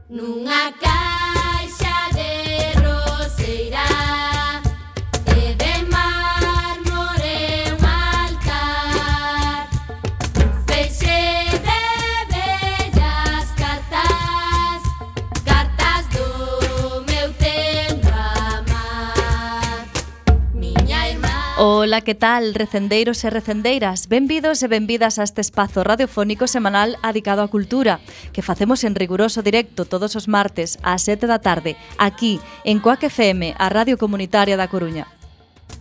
Nunha caixa de roseira e de mármore un altar, feixe de bellas cartas, cartas do meu tendo amar. Miña irmá. Ola, que tal, recendeiros e recendeiras? Benvidos e benvidas a este espazo radiofónico semanal adicado á cultura, que facemos en riguroso directo todos os martes ás 7 da tarde, aquí, en Coac FM, a Radio Comunitaria da Coruña.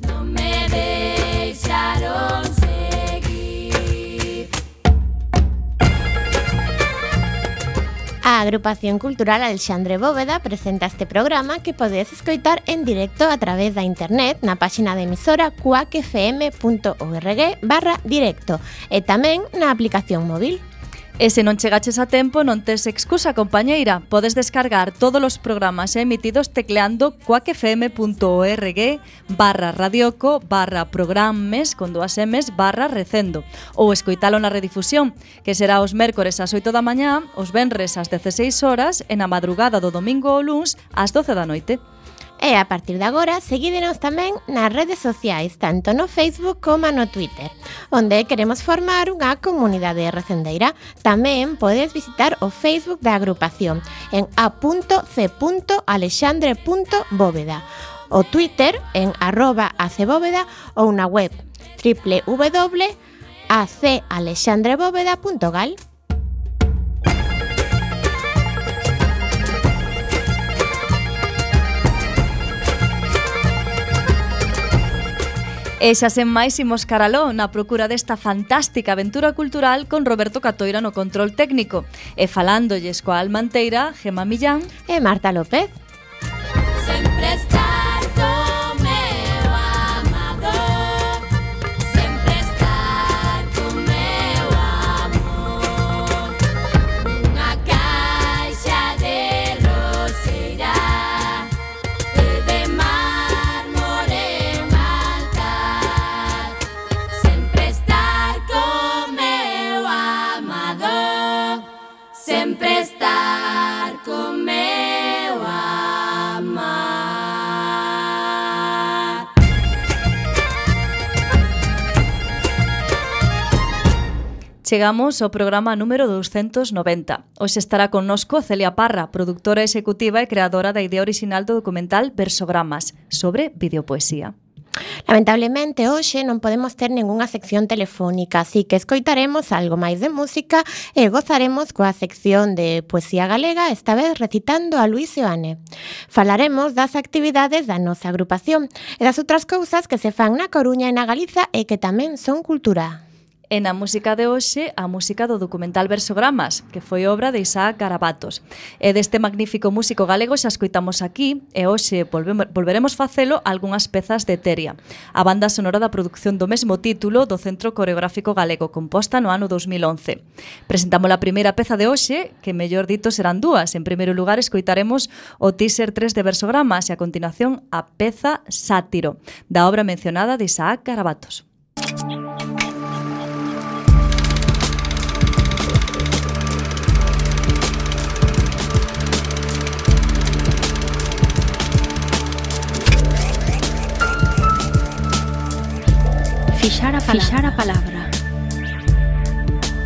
Non me deixaron seguir. A Agrupación Cultural Alexandre Bóveda presenta este programa que podedes escoitar en directo a través da internet na páxina de emisora cuacfm.org/directo e tamén na aplicación móvil. E se non chegaches a tempo, non tes excusa, compañeira. Podes descargar todos os programas emitidos tecleando cuacfm.org/radioco/programes con 2 M's/recendo ou escoitalo na redifusión, que será os mércores ás 8 da mañá, os venres ás 16 horas e na madrugada do domingo ou luns ás 12 da noite. E a partir de agora, seguídenos tamén nas redes sociais, tanto no Facebook como no Twitter, onde queremos formar unha comunidade recendeira. Tamén podes visitar o Facebook da agrupación en a.c.alexandre.bóveda, o Twitter en @acbóveda ou na web www.acalexandrebóveda.gal. E xa sen máis imos caraló na procura desta fantástica aventura cultural con Roberto Catoira no control técnico e falándolles coa almanteira Gemma Millán E Marta López. Sempre estar co meu amado, sempre estar co meu amor. Nunha caixa de roseira e de mármore un altar, sempre estar co meu amado, sempre estar co meu amar. Chegamos ao programa número 290. Hoxe estará connosco Celia Parra, produtora executiva e creadora da idea orixinal do documental Versogramas, sobre videopoesía. Lamentablemente, hoxe non podemos ter ningunha sección telefónica, así que escoitaremos algo máis de música e gozaremos coa sección de poesía galega, esta vez recitando a Luis Seoane. Falaremos das actividades da nosa agrupación e das outras cousas que se fan na Coruña e na Galiza e que tamén son cultura. E na música de hoxe, a música do documental Versogramas, que foi obra de Isaac Garabatos. E deste magnífico músico galego xa escoitamos aquí, e hoxe volveremos facelo algunhas pezas de Teria, a banda sonora da produción do mesmo título do Centro Coreográfico Galego, composta no ano 2011. Presentamos a primeira peza de hoxe, que mellor dito serán dúas. En primeiro lugar, escoitaremos o teaser 3 de Versogramas e a continuación a peza Sátiro, da obra mencionada de Isaac Garabatos. Fixar a palabra.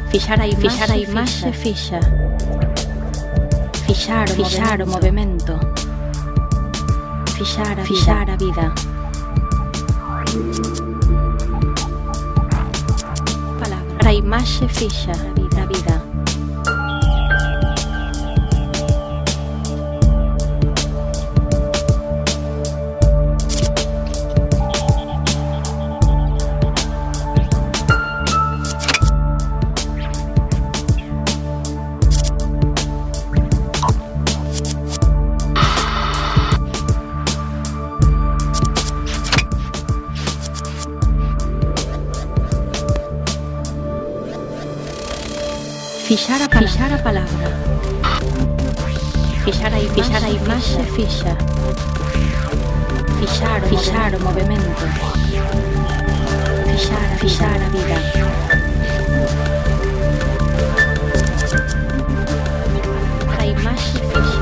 Fixar a imaxe fixa. Fixar o movimento. Fixar a vida. Palabra. A imaxe fixa a vida. Fixar a palabra. Fixar a imaxe fixa. Fixar o movimento. Fixar a vida. A imaxe fixa.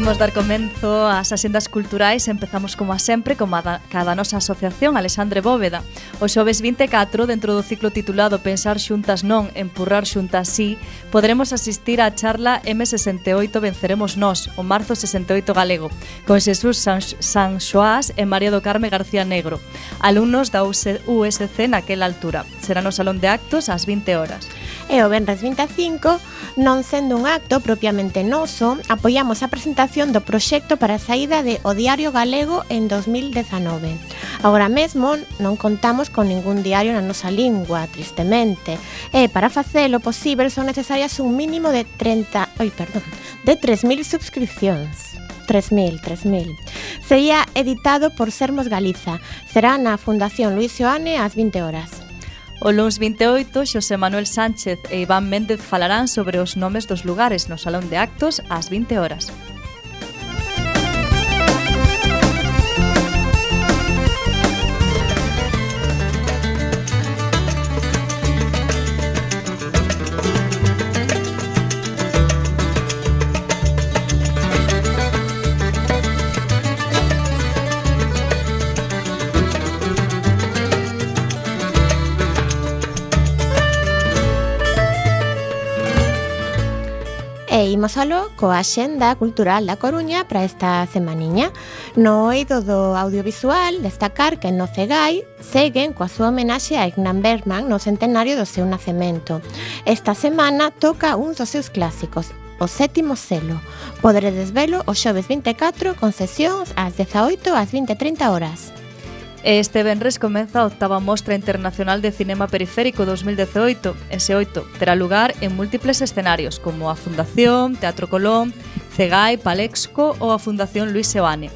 Imos dar comenzo ás axendas culturais. Empezamos como a sempre como cada nosa asociación Alexandre Bóveda. O xoves 24, dentro do ciclo titulado Pensar xuntas non, empurrar xuntas sí, poderemos asistir á charla M68 Venceremos Nós, o marzo 68 galego, con Xesús Sanxoás e María do Carme García Negro, alumnos da USC naquela altura. Será no Salón de Actos ás 20 horas. E o venres 25, non sendo un acto propiamente noso, apoiamos a presentación do proxecto para a saída de O Diario Galego en 2019. Agora mesmo non contamos con ningún diario na nosa lingua, tristemente, e para facelo posible son necesarias un mínimo de 3.000 subscripcións. 3.000. Sería editado por Sermos Galiza. Será na Fundación Luis Seoane ás 20 horas. O luns 28, Xosé Manuel Sánchez e Iván Méndez falarán sobre os nomes dos lugares no Salón de Actos ás 20 horas. E imos aló coa axenda cultural da Coruña para esta semaniña. No eido do audiovisual, destacar que no Cegai seguen coa súa homenaxe a Ingmar Bergman no centenario do seu nacemento. Esta semana toca un dos seus clásicos, O Sétimo Selo. Poderedes velo o xoves 24 con sesións ás 18 ás 20:30 horas. Este venres comeza a 8ª Mostra Internacional de Cinema Periférico 2018. Ese 8 terá lugar en múltiples escenarios, como a Fundación, Teatro Colón, Cegai, Palexco ou a Fundación Luis Seoane.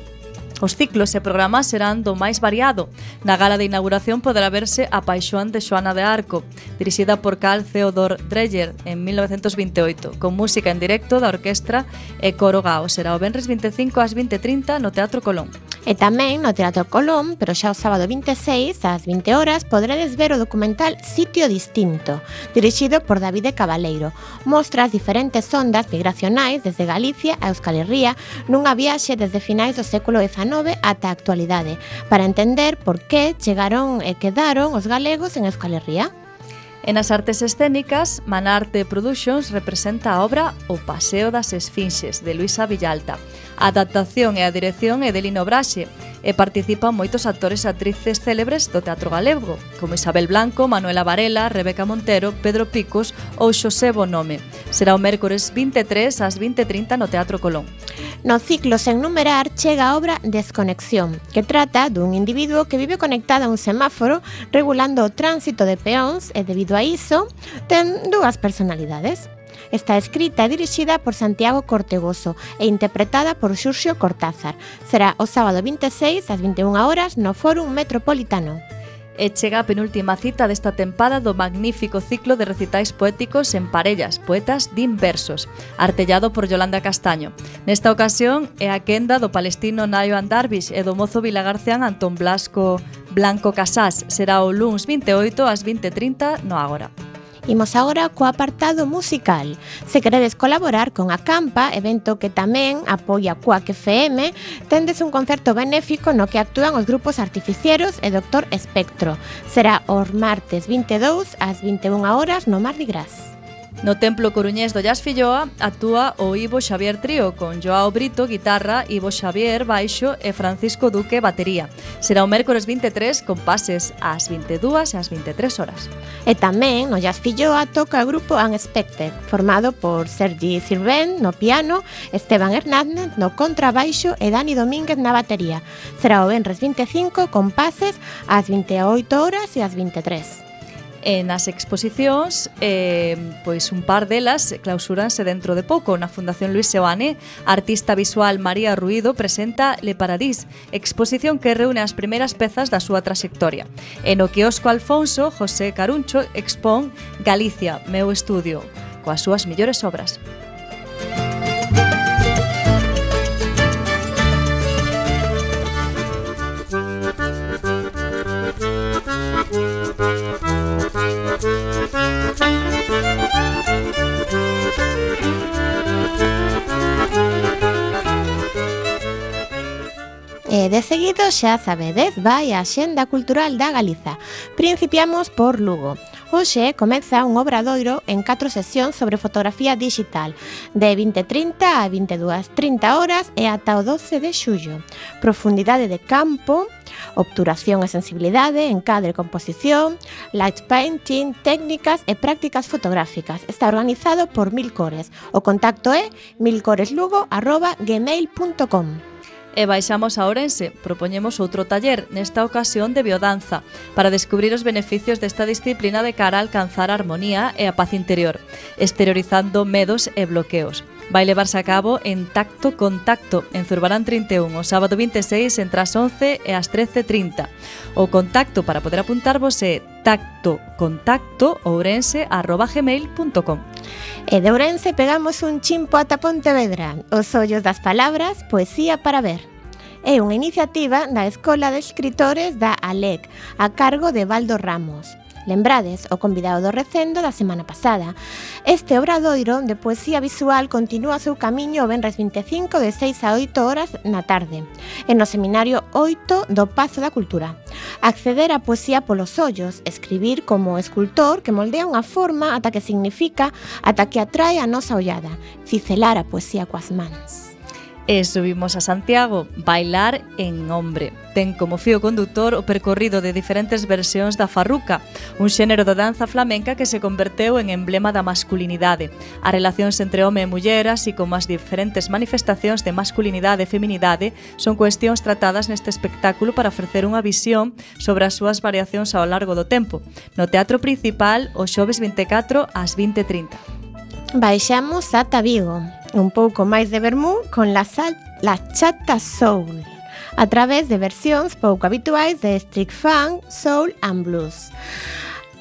Os ciclos e programas serán do máis variado. Na gala de inauguración poderá verse A Paixón de Xoana de Arco, dirixida por Carl Theodor Dreyer en 1928, con música en directo da orquestra e coro Gao. Será o venres 25 ás 20:30 no Teatro Colón. E tamén no Teatro Colón, pero xa o sábado 26 ás 20 horas, poderedes ver o documental Sitio Distinto, dirixido por Davide Cabaleiro. Mostra as diferentes ondas migracionais desde Galicia a Euskal Herria nunha viaxe desde finais do século XIX ata a actualidade, para entender por que chegaron e quedaron os galegos en Euskal Herria. E nas artes escénicas, Manarte Productions representa a obra O Paseo das Esfinxes, de Luisa Villalta. A adaptación e a dirección é de Lino Braxe, e participan moitos actores e actrices célebres do teatro galego, como Isabel Blanco, Manuela Varela, Rebeca Montero, Pedro Picos ou Xosé Bonome. Será o mércores 23 ás 20:30 no Teatro Colón. No ciclo sen numerar chega a obra Desconexión, que trata dun individuo que vive conectado a un semáforo regulando o tránsito de peóns e debido a iso ten dúas personalidades. Está escrita e dirixida por Santiago Cortegoso e interpretada por Xurxo Cortázar. Será o sábado 26 ás 21 horas no Fórum Metropolitano. E chega a penúltima cita desta tempada do magnífico ciclo de recitais poéticos en parellas, poetas din versos, artellado por Yolanda Castaño. Nesta ocasión é a quenda do palestino Nayoan Darvish e do mozo vilagarcián Antón Blanco Casás. Será o luns 28 ás 20:30 no Ágora. Imos agora co apartado musical. Se queredes colaborar con Acampa, evento que tamén apoia Cuac FM, tendes un concerto benéfico no que actúan os grupos Artificieros e Dr. Espectro. Será os martes 22 ás 21 horas no Mardi Gras. No Templo Coruñés do Llas Filloa actúa o Ivo Xavier Trío con Joao Brito, guitarra, Ivo Xavier, baixo e Francisco Duque, batería. Será o mércores 23 con pases ás 22 e ás 23 horas. E tamén no Llas Filloa toca o grupo Unexpected, formado por Sergi Sirvent no piano, Esteban Hernández no contrabaixo e Dani Domínguez na batería. Será o venres 25 con pases ás 28 horas e ás 23. E nas exposicións, pois un par delas clausúranse dentro de pouco. Na Fundación Luis Seoane, a artista visual María Ruido presenta Le Paradís, exposición que reúne as primeiras pezas da súa traxectoria. E no quiosco Alfonso, José Caruncho expón Galicia, meu estudio, coas súas mellores obras. E de seguido, xa sabedes, vai a Axenda Cultural da Galiza. Principiamos por Lugo. Hoxe comeza un obradoiro en 4 sesións sobre fotografía digital, de 20:30 a 22:30 horas e ata o 12 de xullo. Profundidade de campo, obturación e sensibilidade, encadre e composición, light painting, técnicas e prácticas fotográficas. Está organizado por Milcores. O contacto é milcoreslugo@gmail.com. E baixamos a Ourense, propoñemos outro taller, nesta ocasión de biodanza, para descubrir os beneficios desta disciplina de cara a alcanzar a armonía e a paz interior, exteriorizando medos e bloqueos. Vai levarse a cabo en Tacto Contacto, en Zurbarán 31, o sábado 26 entre as 11 e as 13:30. O contacto para poder apuntarvos é tactocontacto@ourense.gmail.com. E de Ourense pegamos un chimpo ata Pontevedra. Os ollos das palabras, poesía para ver. É unha iniciativa da Escola de Escritores da ALEC, a cargo de Baldo Ramos. Lembrades o convidado do recendo da semana pasada. Este obradoiro de poesía visual continúa o seu camiño o venres 25 de 6 a 8 horas na tarde, e no seminario 8 do Pazo da Cultura. Acceder á poesía polos ollos, escribir como escultor que moldea unha forma ata que significa, ata que atrae a nosa ollada, cicelar a poesía coas mans. E subimos a Santiago, Bailar en Hombre. Ten como fío conductor o percorrido de diferentes versións da farruca, un xénero de danza flamenca que se converteu en emblema da masculinidade. As relacións entre home e muller, así como as diferentes manifestacións de masculinidade e feminidade, son cuestións tratadas neste espectáculo para ofrecer unha visión sobre as súas variacións ao largo do tempo. No Teatro Principal, o xoves 24 ás 20:30. Baixamos ata Vigo, un pouco máis de vermú con la Chata Soul, a través de versións pouco habituais de street funk, soul and blues,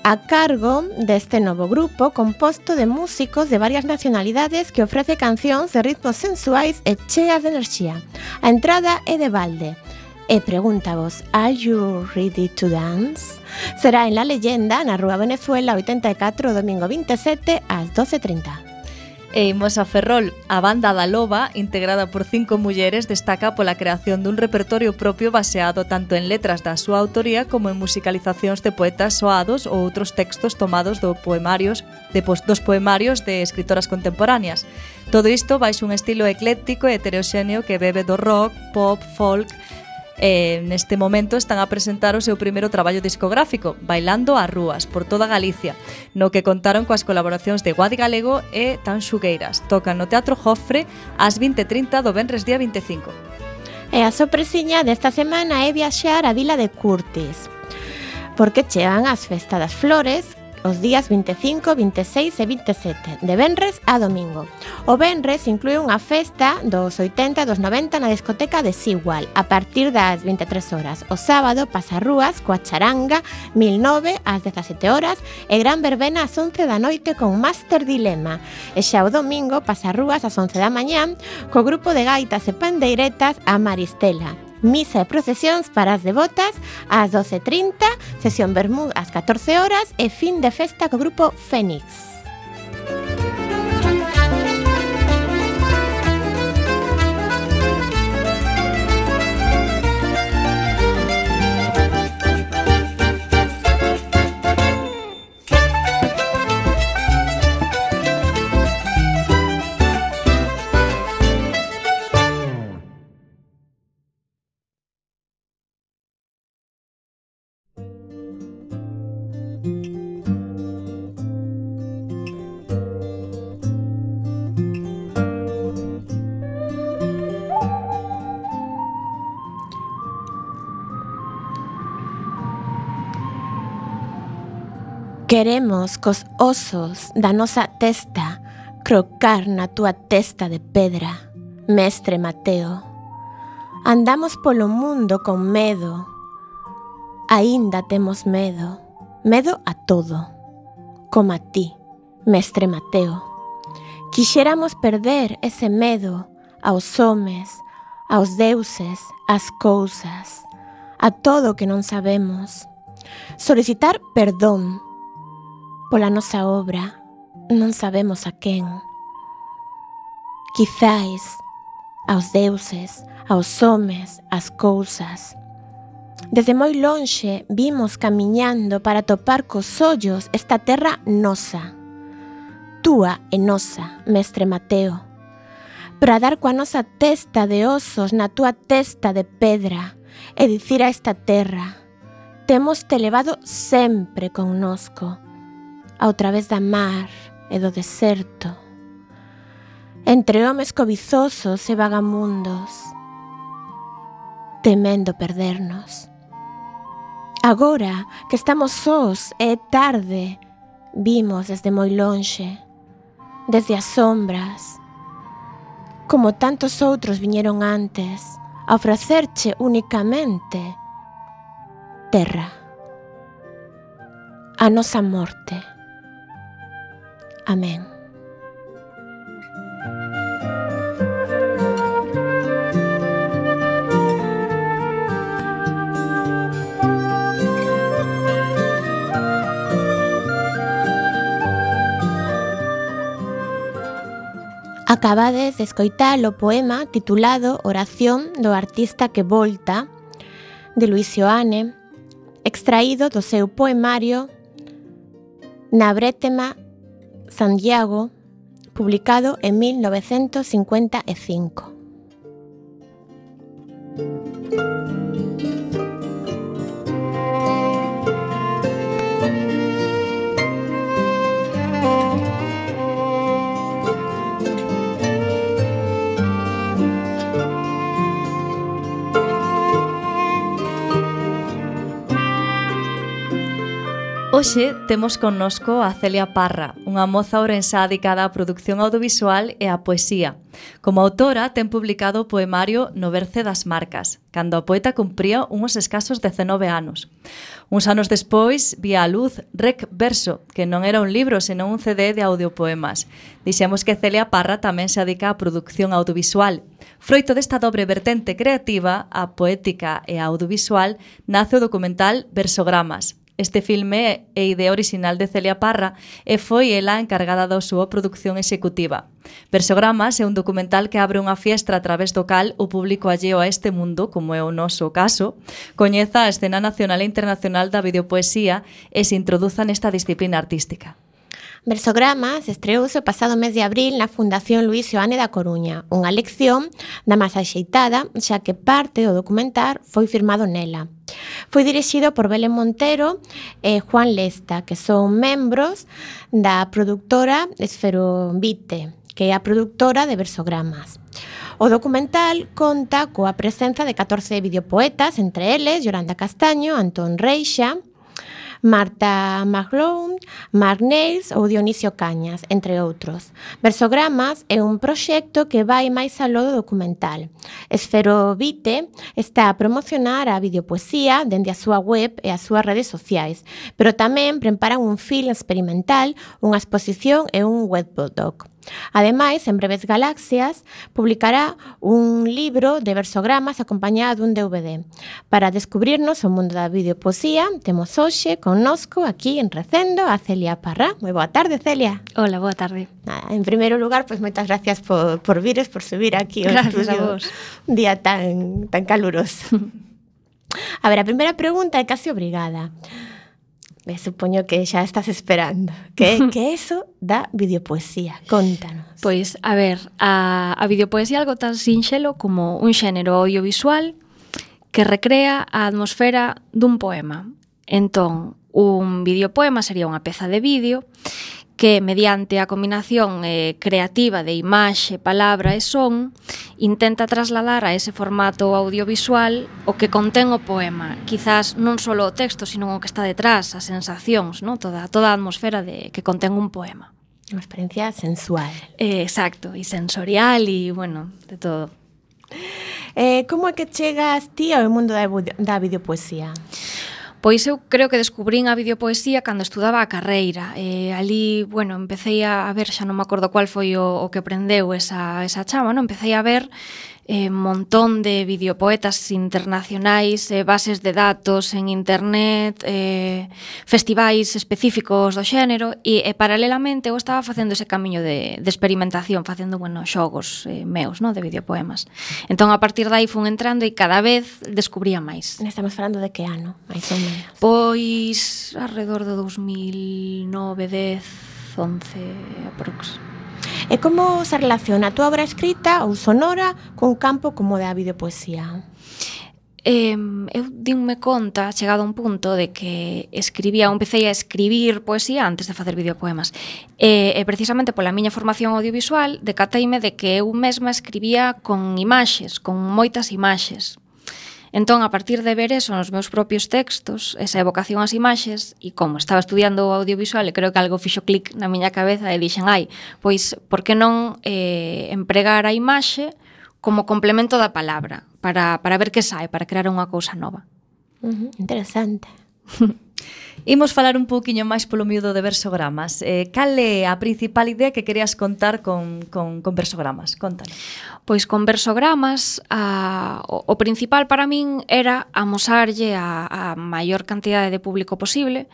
a cargo deste novo grupo composto de músicos de varias nacionalidades que ofrece cancións de ritmos sensuais e cheas de enerxía. A entrada é de balde. E pregúntavos, are you ready to dance? Será en La Leyenda, na Rúa Venezuela 84, domingo 27 ás 12:30. E imos a Ferrol. A banda da Loba, integrada por 5 mulleres, destaca pola creación dun repertorio propio baseado tanto en letras da súa autoría como en musicalizacións de poetas soados ou outros textos tomados dos poemarios de escritoras contemporáneas. Todo isto baixo un estilo ecléctico e heteroxéneo que bebe do rock, pop, folk. Neste momento están a presentar o seu primeiro traballo discográfico, Bailando ás Rúas, por toda Galicia, no que contaron coas colaboracións de Guadi Galego e Tan Xugueiras. Tocan no Teatro Jofre ás 20:30 do venres día 25. E a sorpresiña desta semana é viaxar á vila de Curtis, porque chegan as Festas das Flores os días 25, 26 e 27, de venres a domingo. O venres inclúe unha festa dos 80 e dos 90 na discoteca de Sigual, a partir das 23 horas. O sábado, pasarrúas coa charanga 1009 ás 17 horas e gran verbena ás 11 da noite con Master Dilema. E xa o domingo, pasarrúas ás 11 da mañá co grupo de gaitas e pandeiretas a Maristela. Misa e procesións para as devotas ás 12:30, sesión vermú ás 14 horas e fin de festa co grupo Fénix. Queremos cos osos da nosa testa crocar na túa testa de pedra, mestre Mateo. Andamos polo mundo con medo, aínda temos medo, medo a todo, como a ti, mestre Mateo. Quixéramos perder ese medo aos homes, aos deuses, ás cousas, a todo o que non sabemos. Solicitar perdón pola nosa obra, non sabemos a quen. Quizáis aos deuses, aos homes, ás cousas. Desde moi lonxe vimos camiñando para topar cos ollos esta terra nosa, túa e nosa, mestre Mateo, para dar coa nosa testa de osos na túa testa de pedra e dicir a esta terra: temos te levado sempre connosco, ao través da mar e do deserto, entre homes cobizosos e vagamundos, temendo perdernos. Agora que estamos sós e é tarde, vimos desde moi lonxe, desde as sombras, como tantos outros viñeron antes, a ofrecerche únicamente terra, a nosa morte. Amén. Acabades de escoitar o poema titulado Oración do artista que volta, de Luis Seoane, extraído do seu poemario Na Brétema Santiago, publicado en 1955. Hoxe temos connosco a Celia Parra, unha moza ourensá dedicada á produción audiovisual e á poesía. Como autora, ten publicado o poemario No Berce das Marcas, cando a poeta cumpría uns escasos 19 anos. Uns anos despois, vía a luz Rec Verso, que non era un libro, senón un CD de audiopoemas. Dixemos que Celia Parra tamén se dedica á produción audiovisual. Froito desta dobre vertente creativa, a poética e a audiovisual, nace o documental Versogramas. Este filme é idea orixinal de Celia Parra e foi ela encargada da súa produción executiva. Versogramas é un documental que abre unha fiestra a través do cal o público alleo a este mundo, como é o noso caso, coñeza a escena nacional e internacional da videopoesía e se introduza nesta disciplina artística. Versogramas estreouse o pasado mes de abril na Fundación Luis Seoane da Coruña, unha lección da máis axeitada, xa que parte do documental foi firmado nela. Foi dirixido por Belén Montero e Juan Lesta, que son membros da produtora Esferovite, que é a produtora de Versogramas. O documental conta coa presenza de 14 videopoetas, entre eles Yolanda Castaño, Antón Reixa, Marta McLoughlin, Mark Nails ou Dionisio Cañas, entre outros. Versogramas é un proxecto que vai máis aló do documental. Esferovite está a promocionar a videopoesía dende a súa web e as súas redes sociais, pero tamén preparan un film experimental, unha exposición e un webdoc. Ademais, en breves galaxias, publicará un libro de versogramas acompañado dun DVD. Para descubrirnos o mundo da videopoesía, temos hoxe connosco aquí en Recendo a Celia Parra. Moi boa tarde, Celia. Hola, boa tarde. Nada, en primeiro lugar, pues moitas gracias por vires, por subir aquí ao estudio. Un día tan caluroso. A ver, a primeira pregunta é casi obrigada. Supoño que xa estás esperando. Que é eso da videopoesía? Contanos. Pois, a ver, a videopoesía é algo tan sinxelo como un xénero audiovisual que recrea a atmosfera dun poema. Entón, un videopoema sería unha peza de vídeo que, mediante a combinación creativa de imaxe, palabra e son, intenta trasladar a ese formato audiovisual o que contén o poema. Quizás non só o texto, sino o que está detrás, as sensacións, ¿no? Toda a atmosfera que contén un poema. Unha experiencia sensual. Exacto, e sensorial e, bueno, de todo. Como é que chegas ti ao mundo da videopoesía? Pois eu creo que descubrín a videopoesía cando estudaba a carreira. Ali, bueno, empecé a ver, xa non me acordo cual foi o que prendeu esa chama, non? Empecé a ver montón de videopoetas internacionais, bases de datos en internet, festivais específicos do xénero, e paralelamente eu estaba facendo ese camiño de experimentación, facendo, xogos meus, de videopoemas. Entón, a partir de aí fun entrando e cada vez descubría máis. Estamos falando de que ano, máis ou menos? Pois, alrededor de 2009, 10, 11, aprox. E como se relaciona a túa obra escrita ou sonora cun campo como da videopoesía? Eu dinme conta, chegado a un punto, de que empecé a escribir poesía antes de facer videopoemas. E precisamente pola miña formación audiovisual, decateime de que eu mesma escribía con imaxes, con moitas imaxes. Entón, a partir de ver eso nos meus propios textos, esa evocación ás imaxes, e como estaba estudiando audiovisual, e creo que algo fixo clic na miña cabeza, e dixen, pois, por que non empregar a imaxe como complemento da palabra, para ver que sae, para crear unha cousa nova. Interesante. Imos falar un pouquiño máis polo miúdo de versogramas. Cal é a principal idea que querías contar con versogramas? Contanos. Pois con versogramas, o principal para min era amosarlle a maior cantidade de público posible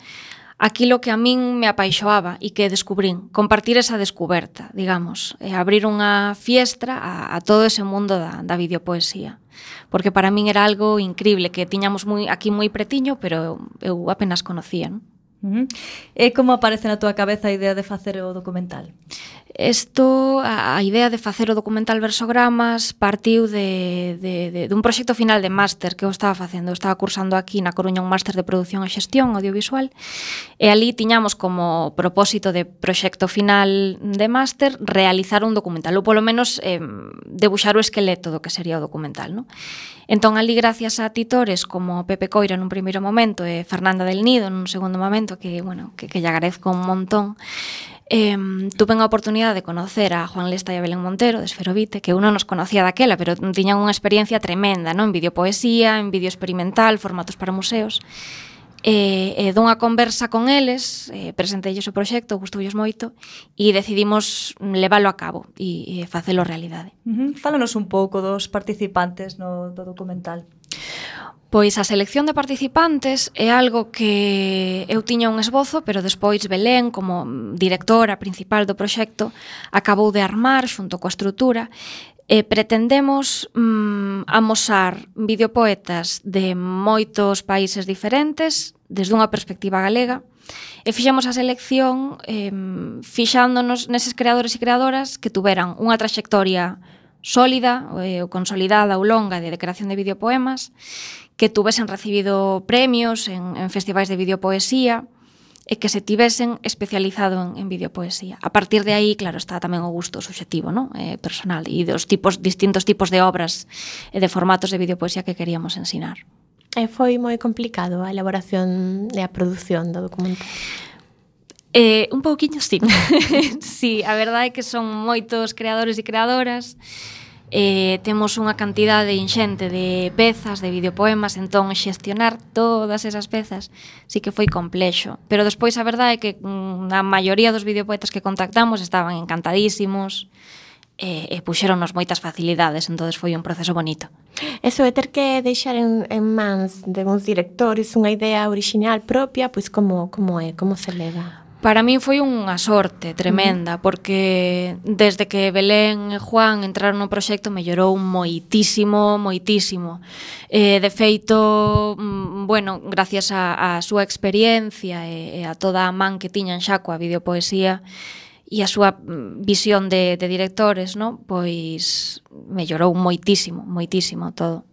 aquilo que a min me apaixoaba e que descubrín, compartir esa descuberta, digamos, abrir unha fiestra a todo ese mundo da videopoesía. Porque para min era algo increíble, que tiñamos aquí moi pretiño, pero eu apenas conocía, non? E como aparece na túa cabeza a idea de facer o documental? A idea de facer o documental Versogramas partiu dun proxecto final de máster que eu estaba facendo. Eu estaba cursando aquí na Coruña un máster de produción e xestión audiovisual, e ali tiñamos como propósito de proxecto final de máster realizar un documental, ou polo menos debuxar o esqueleto do que sería o documental, non? Entón, ali, gracias a titores como Pepe Coira nun primeiro momento e Fernanda del Nido nun segundo momento, que lle agradezco un montón, tuve a oportunidade de conocer a Juan Lesta e a Belén Montero de Esferovite, que eu non nos conocía daquela, pero tiñan unha experiencia tremenda, non? En videopoesía, en vídeo experimental, formatos para museos. E dunha conversa con eles, presenteilles o proxecto, gustoulles moito, e decidimos leválo a cabo e facelo realidade. Fálanos un pouco dos participantes do documental. Pois a selección de participantes é algo que eu tiña un esbozo, pero despois Belén, como directora principal do proxecto, acabou de armar xunto coa estrutura. Pretendemos amosar videopoetas de moitos países diferentes desde unha perspectiva galega, e fixemos a selección fixándonos neses creadores e creadoras que tuveran unha traxectoria sólida ou consolidada ou longa de creación de videopoemas, que tuvesen recibido premios en festivais de videopoesía e que se tivesen especializado en videopoesía. A partir de aí, claro, está tamén o gusto subxectivo, non? Personal, e dos distintos tipos de obras e de formatos de videopoesía que queríamos ensinar. Foi moi complicado a elaboración e a produción do documental? Un pouquiño, sí. Sí, a verdade é que son moitos creadores e creadoras. Temos unha cantidade inxente de pezas, de videopoemas, entón xestionar todas esas pezas sí que foi complexo. Pero despois a verdade é que a maioría dos videopoetas que contactamos estaban encantadísimos e puxéronnos moitas facilidades, entón foi un proceso bonito. Eso de ter que deixar en mans de uns directores unha idea original propia, pois como é, como se leva? Para min foi unha sorte tremenda, porque desde que Belén e Juan entraron no proxecto mellorou moitísimo, moitísimo. De feito, gracias á súa experiencia e a toda a man que tiñan xa coa videopoesía e a súa visión de directores, non? Pois mellorou moitísimo, moitísimo todo.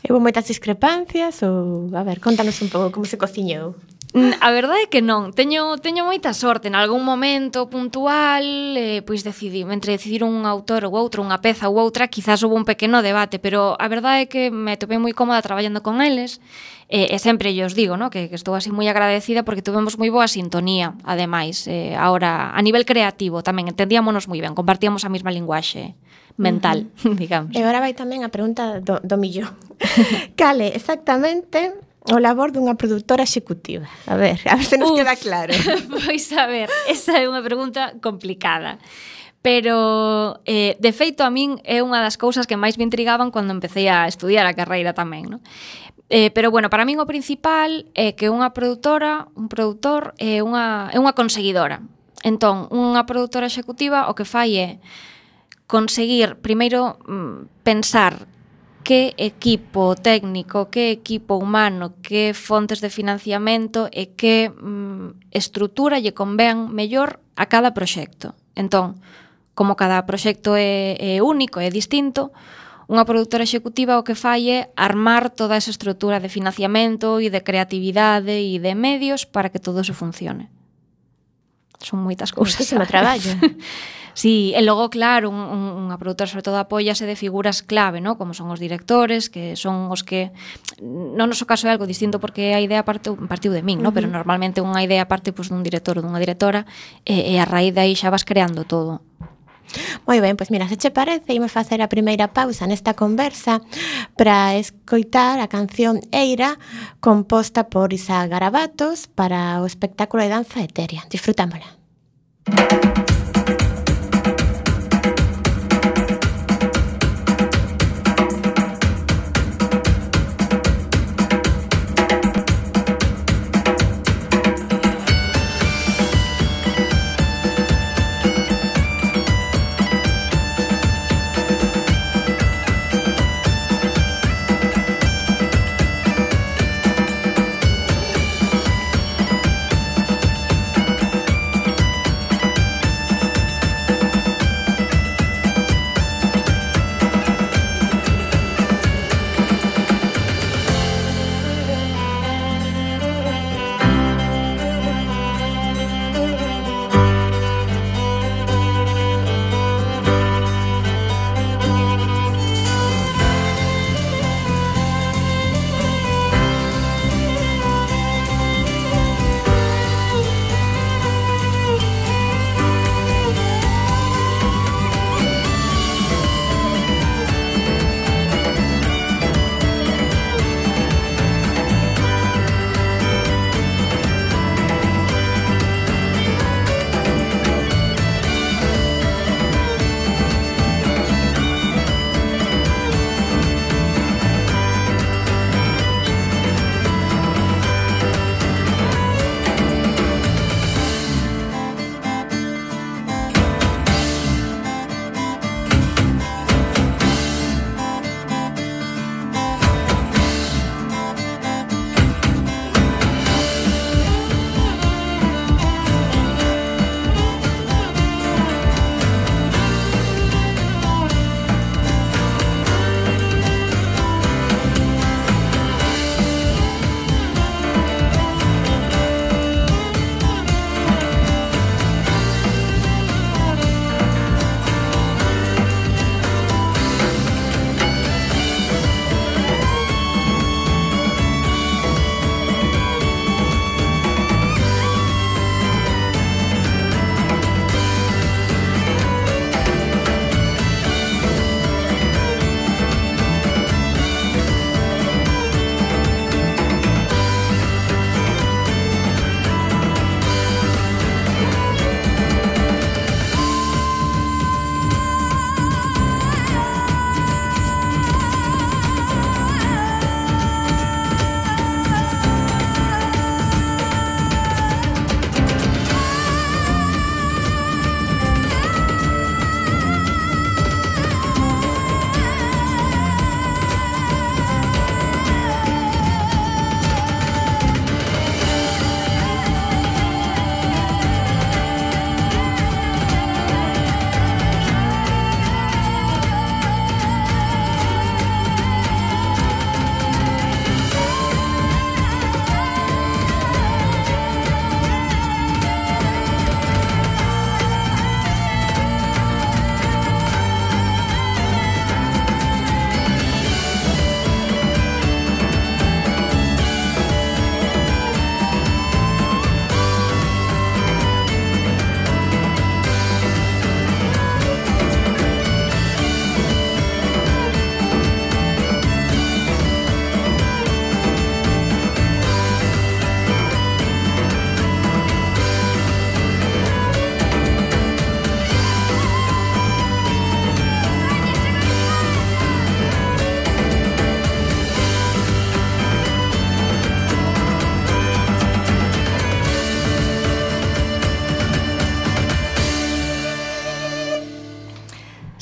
Houve moitas discrepancias ou, a ver, contanos un pouco como se cociñou. A verdade é que non, teño moita sorte. En algún momento puntual, pois entre decidir un autor ou outro, unha peza ou outra, quizás houve un pequeno debate, pero a verdade é que me topei moi cómoda traballando con eles, e sempre os digo, ¿no? que estou así moi agradecida porque tuvemos moi boa sintonía, ademais, ahora a nivel creativo tamén entendíamonos moi ben, compartíamos a mesma linguaxe mental, digamos. E agora vai tamén a pregunta do millón. Cale, exactamente o labor dunha produtora executiva? A ver se nos queda claro. Pois a ver, esa é unha pregunta complicada. Pero, de feito, a min é unha das cousas que máis me intrigaban cando empecé a estudiar a carreira tamén, non? Pero, bueno, para min o principal é que unha produtora, un produtor, é unha conseguidora. Entón, unha produtora executiva o que fai é conseguir, primeiro, pensar que equipo técnico, que equipo humano, que fontes de financiamento e que estrutura lle convén mellor a cada proxecto. Entón, como cada proxecto é único, é distinto, unha produtora executiva o que fai é armar toda esa estrutura de financiamento e de creatividade e de medios para que todo eso funcione. Son moitas cousas. Muchísimo traballo. Sí, e logo, claro, unha produtora sobre todo apóiase de figuras clave, ¿no? Como son os directores, que son os que... No noso caso é algo distinto porque a idea partiu de min, ¿no? Pero normalmente unha idea parte pues, dun director ou dunha directora e a raíz de aí xa vas creando todo. Moi ben, pois mira, se che parece, imos facer a primeira pausa nesta conversa para escoitar a canción Eira, composta por Isaac Garabatos para o espectáculo de danza etérea. Disfrutámola.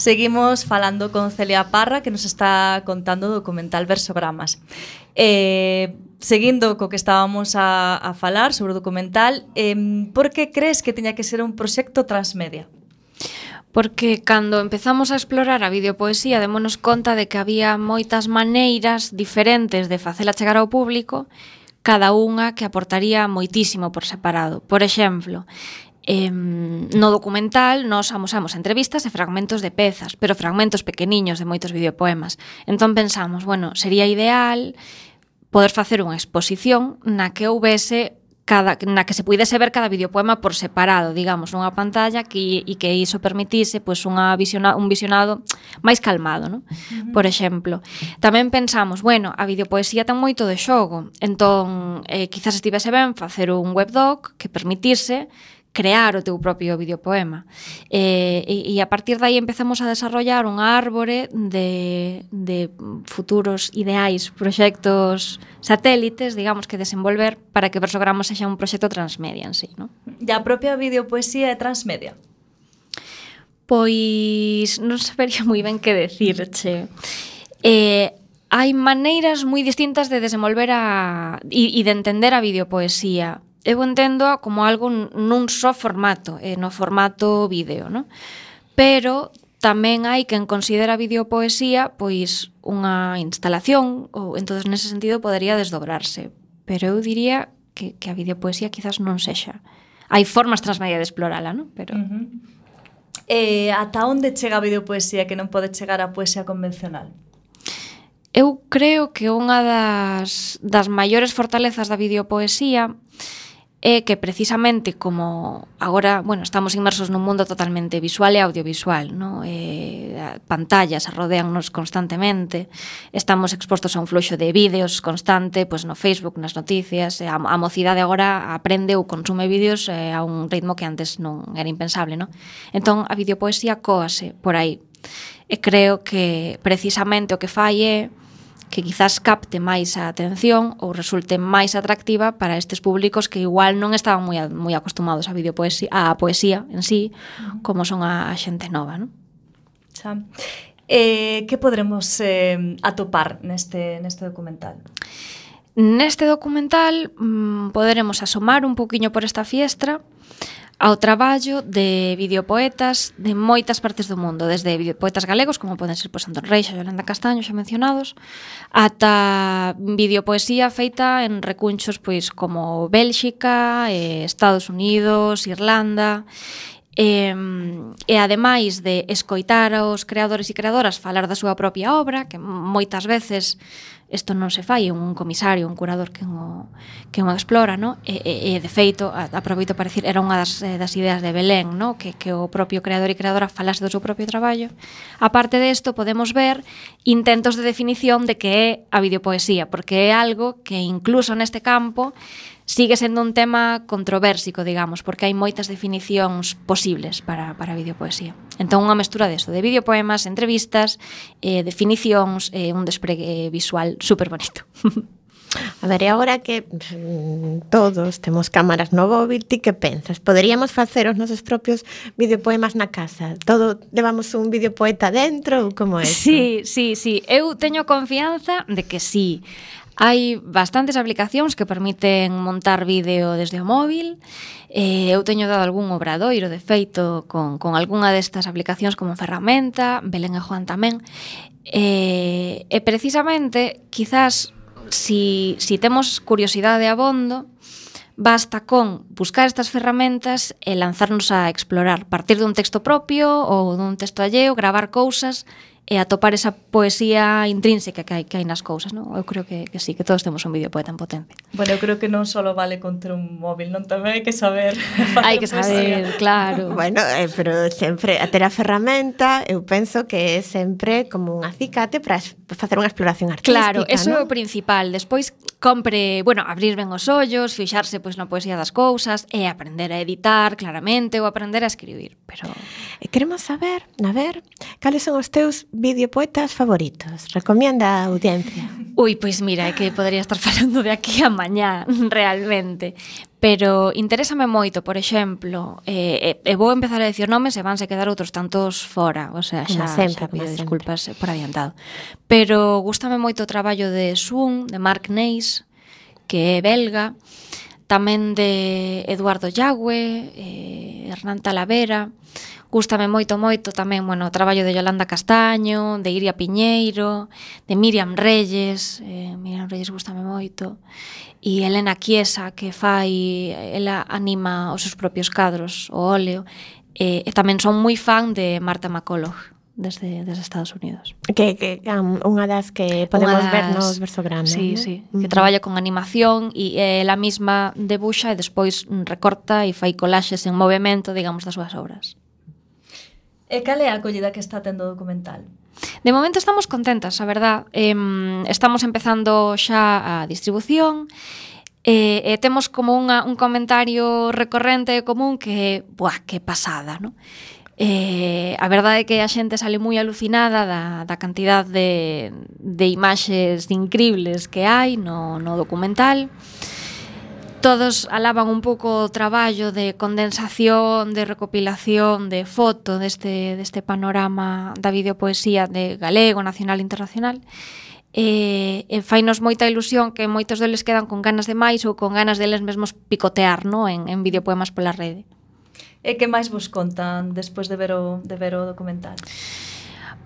Seguimos falando con Celia Parra, que nos está contando o documental Versogramas. Seguindo co que estábamos a falar sobre o documental, por que crees que tiña que ser un proxecto transmedia? Porque cando empezamos a explorar a videopoesía démonos conta de que había moitas maneiras diferentes de facela chegar ao público, cada unha que aportaría moitísimo por separado. Por exemplo, no documental nós amosamos entrevistas e fragmentos de pezas, pero fragmentos pequeniños de moitos videopoemas. Entón pensamos, bueno, sería ideal poder facer unha exposición na que houvese na que se puidese ver cada videopoema por separado, digamos, nunha pantalla que iso permitise pois, un visionado máis calmado, non? Por exemplo. Tamén pensamos, bueno, a videopoesía ten moito de xogo, entón quizás estivese ben facer un webdoc que permitise crear o teu propio videopoema. E a partir de aí empezamos a desarrollar unha árbore de futuros ideais, proxectos satélites, digamos, que desenvolver para que Versogramas sexa un proxecto transmedia en sí, non? E a propia videopoesía é transmedia? Pois non sabería moi ben que decirche. Hai maneiras moi distintas de desenvolver e de entender a videopoesía. Eu entendo como algo nun só formato, no formato vídeo, non? Pero tamén hai quen considera a videopoesía pois unha instalación, ou entonces nese sentido podería desdobrarse. Pero eu diría que a videopoesía quizás non sexa. Hai formas transmedia de explorala, non? Pero ata onde chega a videopoesía que non pode chegar a poesía convencional? Eu creo que unha das maiores fortalezas da videopoesía é que precisamente como agora, bueno, estamos inmersos nun mundo totalmente visual e audiovisual, ¿no? Pantallas rodeannos constantemente, estamos expostos a un fluxo de vídeos constante, pues no Facebook, nas noticias, a mocidade agora aprende ou consume vídeos a un ritmo que antes non era impensable, ¿no? Entón, a videopoesía coase por aí. E creo que precisamente o que fai é que quizás capte máis a atención ou resulte máis atractiva para estes públicos que igual non estaban moi acostumados a poesía en sí, como son a xente nova, non? Xa. Que podremos atopar neste documental? Neste documental poderemos asomar un poquinho por esta fiestra ao traballo de videopoetas de moitas partes do mundo, desde videopoetas galegos, como poden ser Antón Reixa e Yolanda Castaño, xa mencionados, ata videopoesía feita en recunchos pois como Bélxica, Estados Unidos, Irlanda, e ademais de escoitar aos creadores e creadoras falar da súa propia obra, que moitas veces isto non se fai, un comisario, un curador que o explora, no? E de feito, aproveito para decir, era unha das ideas de Belén, no? Que o propio creador e creadora falase do seu propio traballo. A parte desto, podemos ver intentos de definición de que é a videopoesía, porque é algo que incluso neste campo sigue sendo un tema controversico, digamos, porque hai moitas definicións posibles para a videopoesía. Entón, unha mestura deso, de videopoemas, entrevistas, definicións, un despregue visual super bonito. A ver, e agora que todos temos cámaras no móvil, ti que pensas? Poderíamos facer os nosos propios videopoemas na casa? Todo levamos un videopoeta dentro ou como é? Sí. Eu teño confianza de que sí. Hai bastantes aplicacións que permiten montar vídeo desde o móvil. Eu teño dado algún obradoiro, de feito, con algunha destas aplicacións como ferramenta, Belén e Juan tamén. E precisamente, quizás, si temos curiosidade abondo, basta con buscar estas ferramentas e lanzarnos a explorar, partir dun texto propio ou dun texto alleo, gravar cousas e atopar esa poesía intrínseca que hai nas cousas, non? Eu creo que sí, que todos temos un videopoeta en potencia. Bueno, eu creo que non só vale con ter un móvil, non tamén hai que saber hai que saber, claro. Bueno, pero sempre a ter a ferramenta, eu penso que é sempre como un acicate para facer unha exploración artística, claro, eso ¿no? é o principal. Despois compre, bueno, abrir ben os ollos, fixarse pois na poesía das cousas e aprender a editar claramente ou aprender a escribir, pero queremos saber, a ver, cales son os teus videopoetas favoritos? Recomienda a audiencia. Ui, pois mira, é que podría estar falando de aquí a mañá, realmente. Pero interésame moito, por exemplo, vou empezar a decir nomes e vanse quedar outros tantos fora, o sea, xa pido disculpas por adiantado. Pero gústame moito o traballo de Sun, de Mark Neis, que é belga, tamén de Eduardo Llagüe, Hernán Talavera. Gústame moito tamén, bueno, o traballo de Yolanda Castaño, de Iria Piñeiro, de Miriam Reyes. Miriam Reyes gústame moito. E Elena Chiesa, que ela anima os seus propios cadros, o óleo. E tamén son moi fan de Marta McCulloch, desde Estados Unidos. Que unha das que podemos ver nos versogramas. Sí, sí, que traballa con animación e ela mesma debuxa e despois recorta e fai collaxes en movimento, digamos, das súas obras. E cal é a acollida que está tendo o documental? De momento estamos contentas, a verdad. Estamos empezando xa a distribución e temos como un comentario recorrente e común que, que pasada, non? A verdade é que a xente sale moi alucinada da cantidad de imaxes increíbles que hai no documental. Todos alaban un pouco o traballo de condensación, de recopilación, de foto deste panorama da videopoesía de galego, nacional e internacional. E fainos moita ilusión que moitos deles quedan con ganas de máis ou con ganas deles mesmos picotear, no, en videopoemas pola rede. E que máis vos contan despois de ver o documental?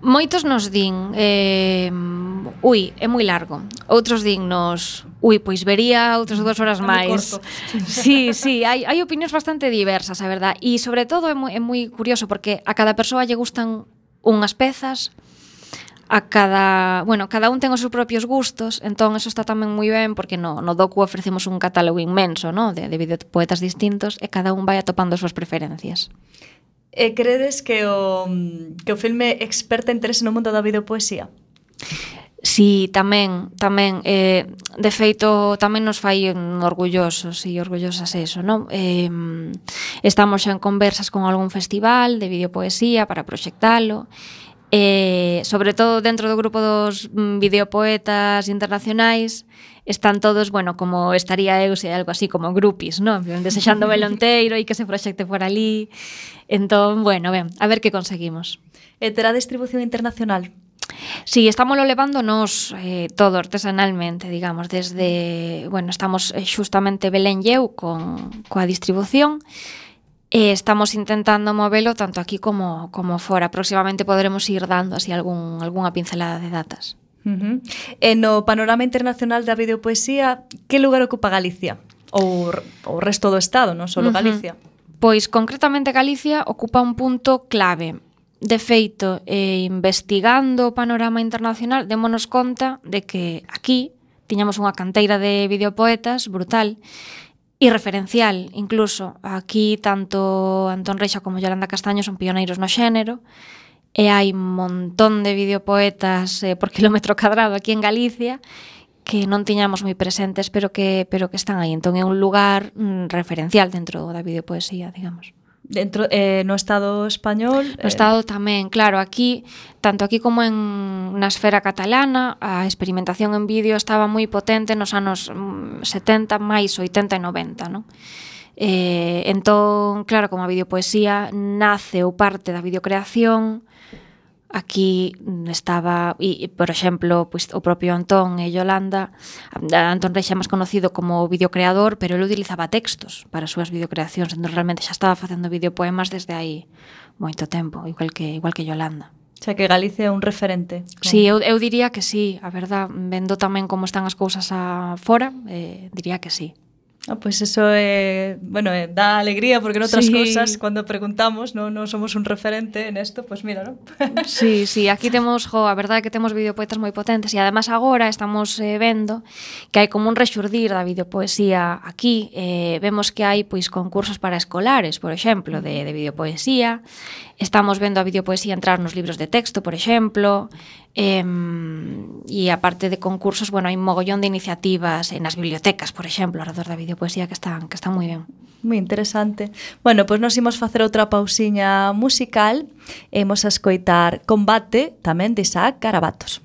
Moitos nos din é moi largo. Outros dinnos, pois vería outras 2 horas máis. Sí, hai opinións bastante diversas, a verdad. E sobre todo é moi curioso porque a cada persoa lle gustan unhas pezas, cada un ten os seus propios gustos, entón eso está tamén moi ben porque no docu ofrecemos un catálogo inmenso, no, de videopoetas distintos e cada un vai atopando as súas preferencias. E credes que o filme experta interese no mundo da videopoesía? Sí, tamén. De feito, tamén nos fai orgullosos e orgullosas eso, non? Estamos xa en conversas con algún festival de videopoesía para proxectalo. Sobre todo dentro do grupo dos videopoetas internacionais están todos, como estaría eu se algo así como grupis, non? Desexando velo enteiro e que se proxecte por ali. Entón, a ver que conseguimos. E terá distribución internacional? Sí, estámoslo levando nos todo artesanalmente, digamos, desde, estamos xustamente Belén e eu coa distribución. Estamos intentando movelo tanto aquí como fora. Próximamente poderemos ir dando así algunha pincelada de datas. E no panorama internacional da videopoesía, que lugar ocupa Galicia? Ou o resto do Estado, non só Galicia? Pois concretamente Galicia ocupa un punto clave. De feito, investigando o panorama internacional, démonos conta de que aquí tiñamos unha canteira de videopoetas brutal e referencial, incluso. Aquí tanto Antón Reixa como Yolanda Castaño son pioneiros no xénero e hai un montón de videopoetas por kilómetro cadrado aquí en Galicia que non tiñamos moi presentes, pero que están aí. Entón é un lugar referencial dentro da videopoesía, digamos. Dentro no Estado español? No Estado tamén, claro, aquí, tanto aquí como na esfera catalana, a experimentación en vídeo estaba moi potente nos anos 70, máis 80 e 90, non? Entón, claro, como a videopoesía nace ou parte da videocreación, aquí estaba, e por exemplo, pois, o propio Antón e Yolanda, Antón Reixa máis conocido como videocreador, pero ele utilizaba textos para as súas videocreacións, entón realmente xa estaba facendo videopoemas desde aí moito tempo, igual que Yolanda. O sea, que Galicia é un referente. Sí, eu diría que sí, a verdad, vendo tamén como están as cousas fora, diría que sí. Pois eso dá alegría porque noutras cousas cando preguntamos non somos un referente en esto, pois mira, non? Sí, aquí temos, a verdade é que temos videopoetas moi potentes e además agora estamos vendo que hai como un rexurdir da videopoesía aquí. Vemos que hai pois concursos para escolares, por exemplo, de videopoesía. Estamos vendo a videopoesía entrar nos libros de texto, por exemplo. E aparte de concursos, hai un mogollón de iniciativas nas bibliotecas, por exemplo, alrededor da videopoesía que están moi ben. Moi interesante. Bueno, pois nos imos facer outra pausiña musical e imos a escoitar Combate, tamén de Isaac Garabatos.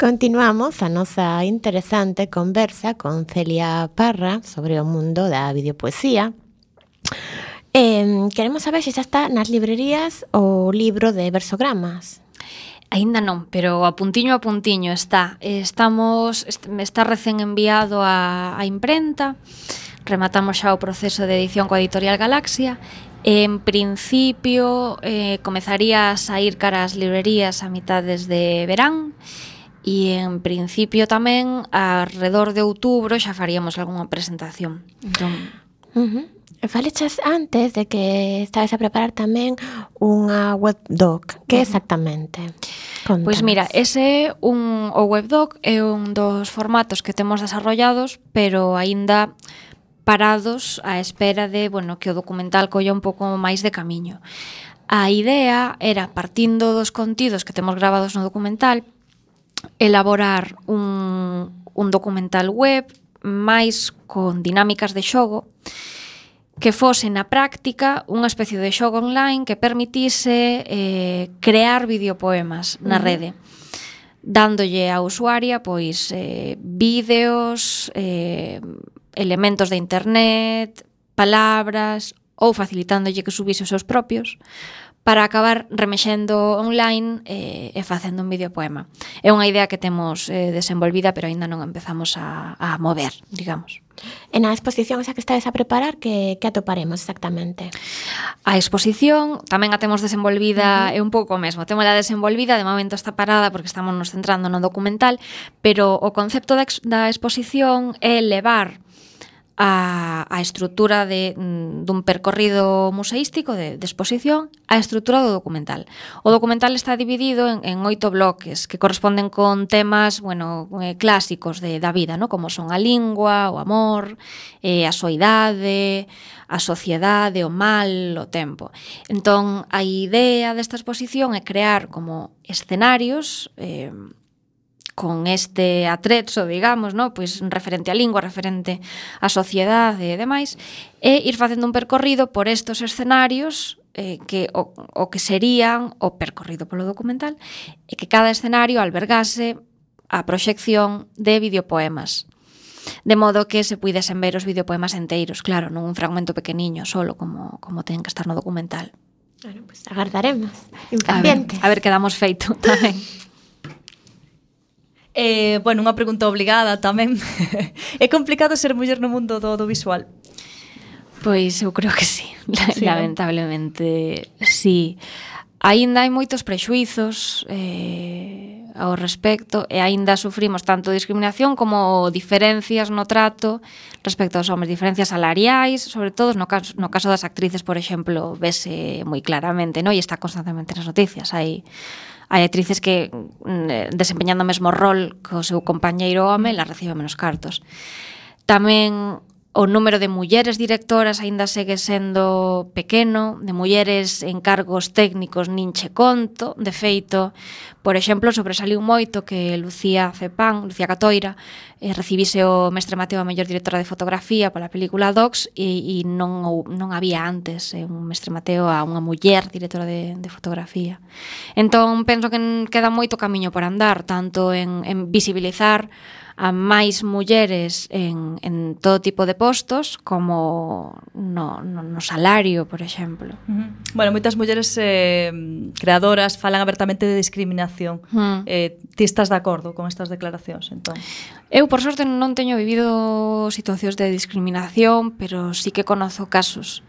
Continuamos a nosa interesante conversa con Celia Parra sobre o mundo da videopoesía. Queremos saber se xa está nas librerías o libro de versogramas. Aínda non, pero a puntiño está. Está recén enviado á imprenta. Rematamos xa o proceso de edición coa editorial Galaxia. En principio, comezaría a saír cara ás librerías a mitades de verán. E en principio tamén, alrededor de outubro, xa faríamos algunha presentación. Entón... Falechas antes de que estabas a preparar tamén unha webdoc. Que exactamente? Contanos. Pois mira, o webdoc é un dos formatos que temos desarrollados, pero aínda parados á espera de, que o documental colla un pouco máis de camiño. A idea era, partindo dos contidos que temos gravados no documental, elaborar un documental web máis con dinámicas de xogo que fose na práctica unha especie de xogo online que permitise crear videopoemas na rede, dándolle á usuaria pois vídeos, elementos de internet, palabras, ou facilitándolle que subise os seus propios, para acabar remexendo online e facendo un videopoema. É unha idea que temos desenvolvida, pero aínda non empezamos a mover, digamos. E na exposición esa que estades a preparar, que atoparemos exactamente? A exposición tamén a temos desenvolvida, é un pouco o mesmo, temos a desenvolvida, de momento está parada porque estamos nos centrando no documental, pero o concepto da exposición é levar a estrutura dun percorrido museístico de exposición a estrutura do documental. O documental está dividido en 8 bloques que corresponden con temas, clásicos da vida, ¿no? Como son a lingua, o amor, a soidade, a sociedade, o mal, o tempo. Entón, a idea desta exposición é crear como escenarios con este atrezo, digamos, ¿no? Pois referente á lingua, referente á sociedade e demais, e ir facendo un percorrido por estos escenarios que o que serían o percorrido polo documental, e que cada escenario albergase a proxección de videopoemas. De modo que se puidesen ver os videopoemas enteiros, claro, non un fragmento pequeniño solo como ten que estar no documental. Bueno, pues agardaremos, impacientes. A ver que damos feito tamén. Unha pregunta obligada tamén. É complicado ser muller no mundo do audiovisual? Pois eu creo que sí, lamentablemente sí. Aínda hai moitos prexuizos ao respecto e aínda sufrimos tanto discriminación como diferencias no trato respecto aos homens, diferencias salariais, sobre todo no caso das actrices, por exemplo, vese moi claramente, no? E está constantemente nas noticias. Hai actrices que desempeñando o mesmo rol que o seu compañeiro home, la recibe menos cartos. Tamén o número de mulleres directoras aínda segue sendo pequeno, de mulleres en cargos técnicos nin che conto. De feito, por exemplo, sobresaliu moito que Lucía Catoira, recibise o Mestre Mateo a mellor directora de fotografía pola película Docs e non había antes un Mestre Mateo a unha muller directora de fotografía. Entón, penso que queda moito camiño por andar, tanto en visibilizar a máis mulleres en todo tipo de postos como no salario, por exemplo. Bueno, moitas mulleres creadoras falan abertamente de discriminación. Ti estás de acordo con estas declaracións, entón? Eu, por sorte, non teño vivido situacións de discriminación, pero sí que conozo casos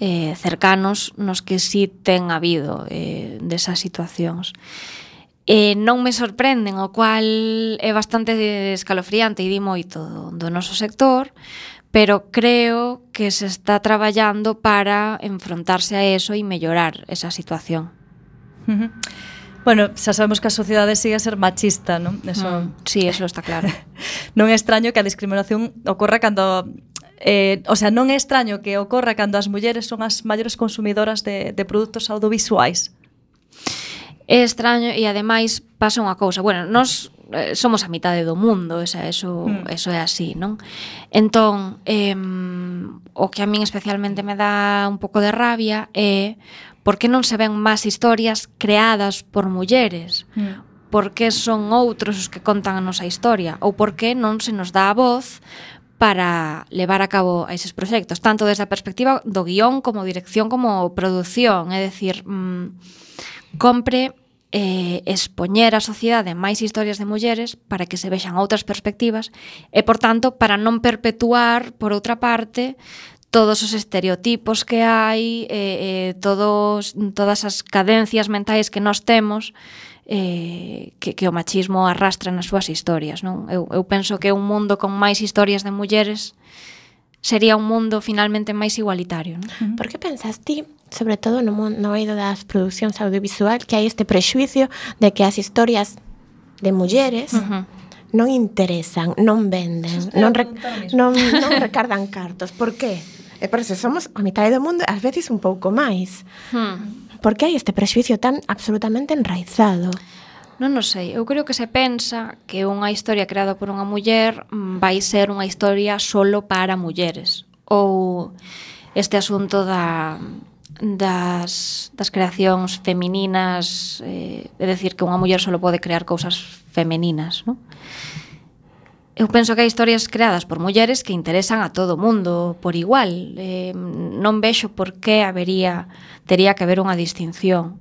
cercanos nos que sí ten habido desas situacións. Non me sorprenden, o cual é bastante escalofriante e di moito do noso sector, pero creo que se está traballando para enfrontarse a eso e mellorar esa situación. Bueno, xa sabemos que a sociedade sigue a ser machista, non? Eso... Sí, eso está claro. Non é extraño que a discriminación ocorra cando... non é extraño que ocorra cando as mulleres son as maiores consumidoras de produtos audiovisuais. É extraño e ademais pasa unha cousa. Bueno, nós somos a mitade do mundo, eso é así, non? Entón, o que a min especialmente me dá un pouco de rabia é por que non se ven máis historias creadas por mulleres? Por que son outros os que contan a nosa historia? Ou por que non se nos dá a voz para levar a cabo eses proxectos, tanto desde a perspectiva do guión como dirección como produción? É dicir, compre expoñer a sociedade máis historias de mulleres para que se vexan outras perspectivas e, por tanto, para non perpetuar, por outra parte, todos os estereotipos que hai, todas as cadencias mentais que nós temos que o machismo arrastra nas súas historias, non? Eu penso que un mundo con máis historias de mulleres sería un mundo finalmente máis igualitario, non? Por que pensas ti, sobre todo no eido das producións audiovisual, que hai este prexuicio de que as historias de mulleres non interesan, non venden, non recardan cartos? Por qué? E por eso somos a mitad do mundo, ás veces un pouco máis. Por que hai este prexuicio tan absolutamente enraizado? Non o sei, eu creo que se pensa que unha historia creada por unha muller vai ser unha historia solo para mulleres. Ou este asunto das creacións femininas, é dicir, que unha muller solo pode crear cousas femeninas, non? eu penso que hai historias creadas por mulleres que interesan a todo o mundo por igual. Non vexo por que tería que haber unha distinción.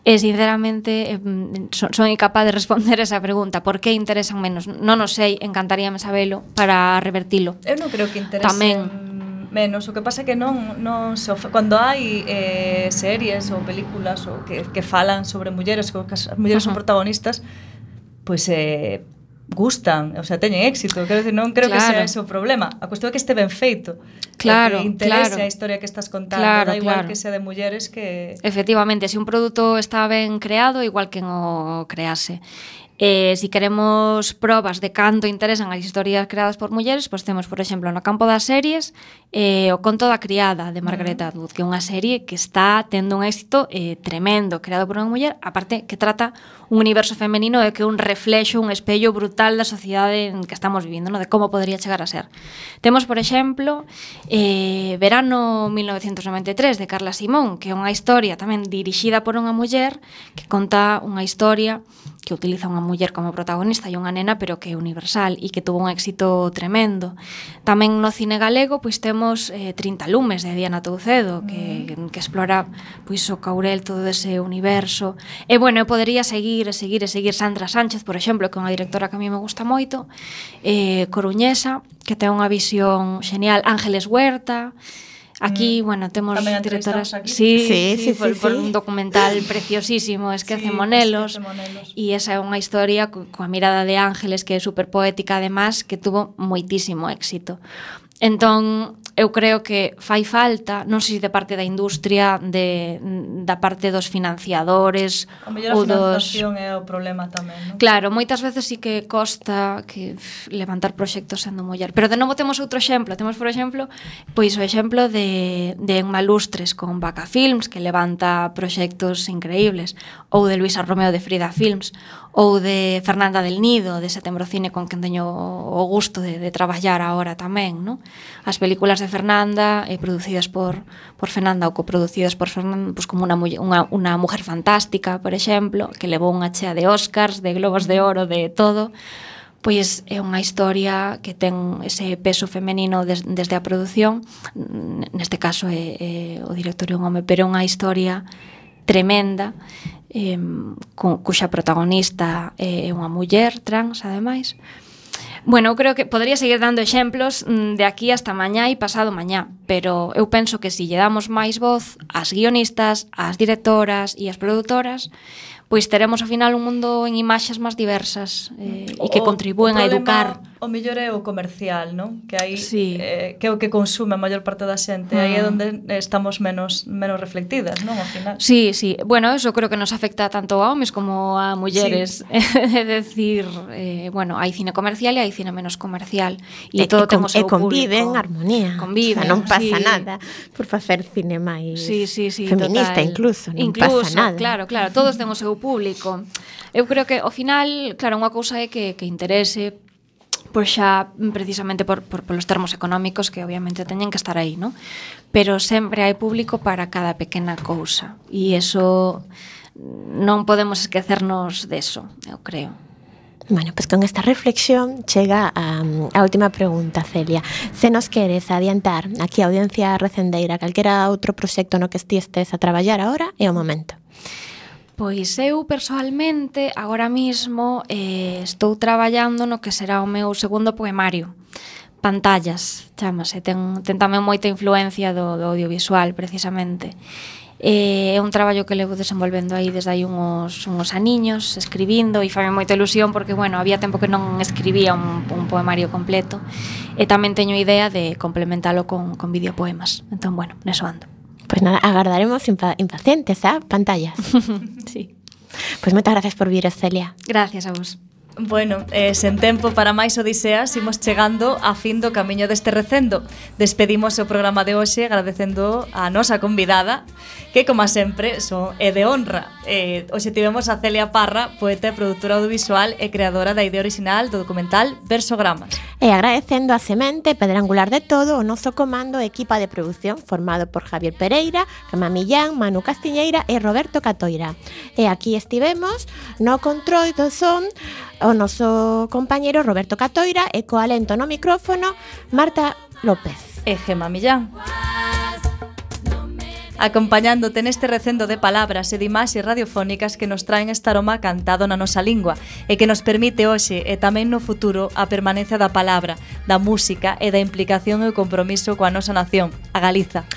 E, sinceramente, son incapaz de responder esa pregunta. Por que interesan menos? Non o sei, encantaríame sabelo para revertilo. Eu non creo que interesen menos. O que pasa é que non cando hai series ou películas ou que falan sobre mulleres, que as mulleres son protagonistas, pois gustan, o sea, teñen éxito. Quero decir, non creo que sea ese o problema. A cuestión é que este ben feito. Claro, que interese a historia que estás contando. Da igual que sea de mulleres que... Efectivamente, se un produto está ben creado, igual que o crease. Si queremos probas de canto interesan as historias creadas por mulleres, pois temos, por exemplo, no campo das series, o Conto da criada, de Margaret Atwood, que é unha serie que está tendo un éxito tremendo, creado por unha muller, aparte que trata un universo femenino e que é un reflexo, un espello brutal da sociedade en que estamos vivindo, ¿no? De como podría chegar a ser. Temos, por exemplo, Verano 1993, de Carla Simón, que é unha historia tamén dirixida por unha muller que conta unha historia que utiliza unha muller como protagonista e unha nena, pero que é universal e que tuvo un éxito tremendo. Tamén no cine galego pois temos 30 lumes de Diana Toucedo, que explora pois o Caurel, todo ese universo. E bueno, eu podería seguir Sandra Sánchez, por exemplo, que é unha directora que a mí me gusta moito, coruñesa, que ten unha visión xenial. Ángeles Huerta. Aquí, bueno, temos directoras... Sí, por un documental preciosísimo, Esquece Monelos, e esa é unha historia coa mirada de Ángeles, que é super poética, además, que tuvo moitísimo éxito. Entón, eu creo que fai falta, non sei se de parte da industria, da parte dos financiadores ou dos... A financiación é o problema tamén, non? Claro, moitas veces sí que costa que levantar proxectos sendo muller. Pero de novo temos outro exemplo. Temos, por exemplo, pois o exemplo de Emma Lustres con Vaca Films, que levanta proxectos increíbles, ou de Luisa Romeo de Frida Films, ou de Fernanda del Nido, de Setembro Cine, con quen teño o gusto de traballar agora tamén, non? As películas de Fernanda, producidas por Fernanda ou coproducidas por Fernanda, pois como unha mujer fantástica, por exemplo, que levou unha chea de Oscars, de Globos de Oro, de todo, pois é unha historia que ten ese peso femenino desde a produción. Neste caso é o director é un home, pero é unha historia tremenda, cuxa protagonista é unha muller trans, ademais. Bueno, eu creo que podría seguir dando exemplos de aquí hasta mañá e pasado mañá, pero eu penso que se lle damos máis voz ás guionistas, ás directoras e ás produtoras, pois teremos ao final un mundo en imaxes máis diversas e que contribúen a educar. O mellor é o comercial, non? Que aí que é o que consume a maior parte da xente, aí é onde estamos menos reflectidas, non? Ao final. Sí. Bueno, eso creo que nos afecta tanto a homes como a mulleres. É decir, bueno, hai cine comercial e hai cine menos comercial e todo ten o seu público. E conviven en armonía. Conviven, non pasa nada por facer cine máis feminista, incluso. Non pasa nada. Claro, todos ten o seu público. Eu creo que ao final, claro, unha cousa é que interese pois xa precisamente polos termos económicos que obviamente teñen que estar aí, ¿no? Pero sempre hai público para cada pequena cousa e eso non podemos esquecernos deso, eu creo. Bueno, pues con esta reflexión chega a última pregunta, Celia. Se nos queres adiantar aquí a audiencia recendeira calquera outro proxecto no que estes a traballar agora, é o momento. Pois eu, persoalmente, agora mismo estou traballando no que será o meu segundo poemario. Pantallas, chámase. Ten tamén moita influencia do audiovisual, precisamente. É un traballo que levo desenvolvendo aí desde aí uns aniños, escribindo, e fame moita ilusión porque, bueno, había tempo que non escribía un poemario completo, e tamén teño idea de complementalo con videopoemas. Entón, bueno, neso ando. Pues nada, agardaremos impacientes, pantallas. Sí. Pues moitas gracias por vir, Celia. Gracias a vos. Bueno, sen tempo para máis odiseas, imos chegando a fin do camiño deste recendo. Despedimos o programa de hoxe agradecendo a nosa convidada, que, como sempre, é de honra. Hoxe tivemos a Celia Parra, poeta e produtora audiovisual e creadora da idea original do documental Versogramas. E agradecendo a semente pedra angular de todo o noso comando e equipa de produción formado por Javier Pereira, Rama Millán, Manu Castiñeira e Roberto Catoira. E aquí estivemos no control do son o noso compañeiro Roberto Catoira e co alento no micrófono Marta López e Gema Millán. Acompañándote neste recendo de palabras e de imaxes radiofónicas que nos traen este aroma cantado na nosa lingua e que nos permite hoxe e tamén no futuro a permanencia da palabra, da música e da implicación e o compromiso coa nosa nación, a Galiza.